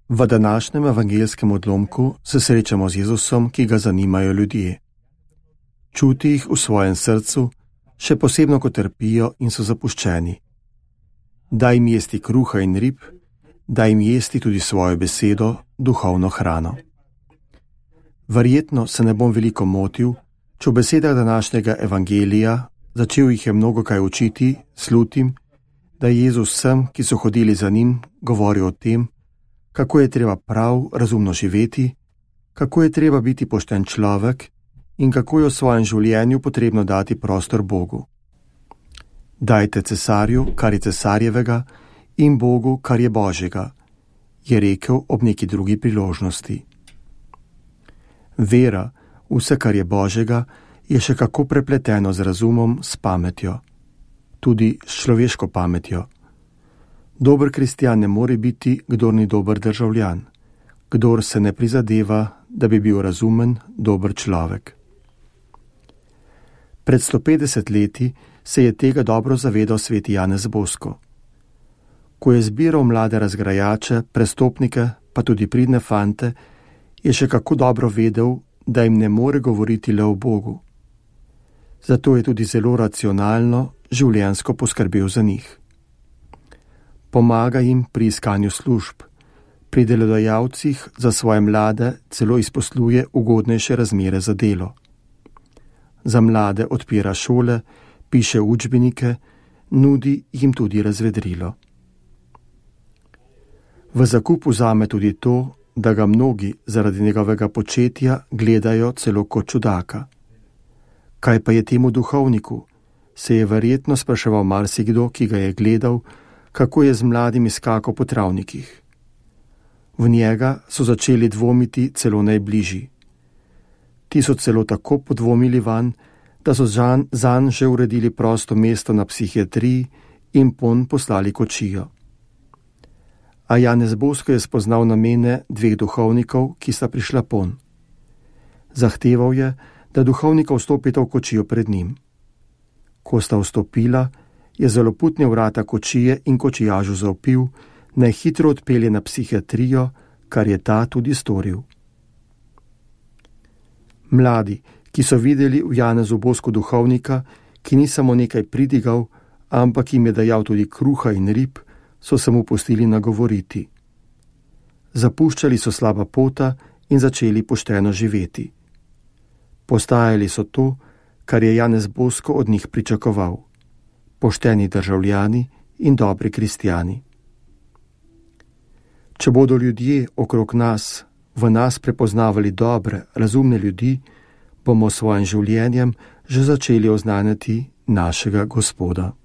V današnjem evangelskem odlomku se srečamo z Jezusom, ki ga zanimajo ljudje. Čuti jih v svojem srcu, še posebno, ko trpijo in so zapuščeni. Daj jim jesti kruha in rib, daj jim jesti tudi svojo besedo, duhovno hrano. Verjetno se ne bom veliko motil, če v besedah današnjega evangelija, začel jih je mnogo kaj učiti, slutim, da je Jezus vsem, ki so hodili za njim, govoril o tem, kako je treba prav razumno živeti, kako je treba biti pošten človek in kako je v svojem življenju potrebno dati prostor Bogu. Dajte cesarju, kar je cesarjevega, in Bogu, kar je Božjega, je rekel ob neki drugi priložnosti. Vera, vse, kar je Božjega, je še kako prepleteno z razumom, s pametjo, tudi s človeško pametjo. Dober kristjan ne more biti, kdor ni dober državljan, kdor se ne prizadeva, da bi bil razumen, dober človek. Pred 150 leti se je tega dobro zavedal sveti Janez Bosko. Ko je zbiral mlade razgrajače, prestopnike, pa tudi pridne fante, je še kako dobro vedel, da jim ne more govoriti le o Bogu. Zato je tudi zelo racionalno, življenjsko poskrbel za njih. Pomaga jim pri iskanju služb, pri delodajalcih za svoje mlade celo izposluje ugodnejše razmere za delo. Za mlade odpira šole, piše učbenike, nudi jim tudi razvedrilo. V zakup vzame tudi to, da ga mnogi zaradi njegovega početja gledajo celo kot čudaka. Kaj pa je temu duhovniku? Se je verjetno spraševal marsikdo, ki ga je gledal, kako je z mladimi skakal po travnikih. V njega so začeli dvomiti celo najbližji. Ti so celo tako podvomili vanj, da so zanj že uredili prosto mesto na psihiatriji in ponj poslali kočijo. A Janez Bosko je spoznal namene dveh duhovnikov, ki sta prišla ponj. Zahteval je, da duhovnika vstopita v kočijo pred njim. Ko sta vstopila, je zaloputne vrata kočije in kočijažu zaupil, naj hitro odpelje na psihiatrijo, kar je ta tudi storil. Mladi, ki so videli v Janezu Bosku duhovnika, ki ni samo nekaj pridigal, ampak jim je dajal tudi kruha in rib, so se mu pustili nagovoriti. Zapuščali so slaba pota in začeli pošteno živeti. Postajali so to, kar je Janez Bosko od njih pričakoval. Pošteni državljani in dobri kristjani. Če bodo ljudje okrog nas, v nas prepoznavali dobre, razumne ljudi, bomo s svojim življenjem že začeli oznanjati našega Gospoda.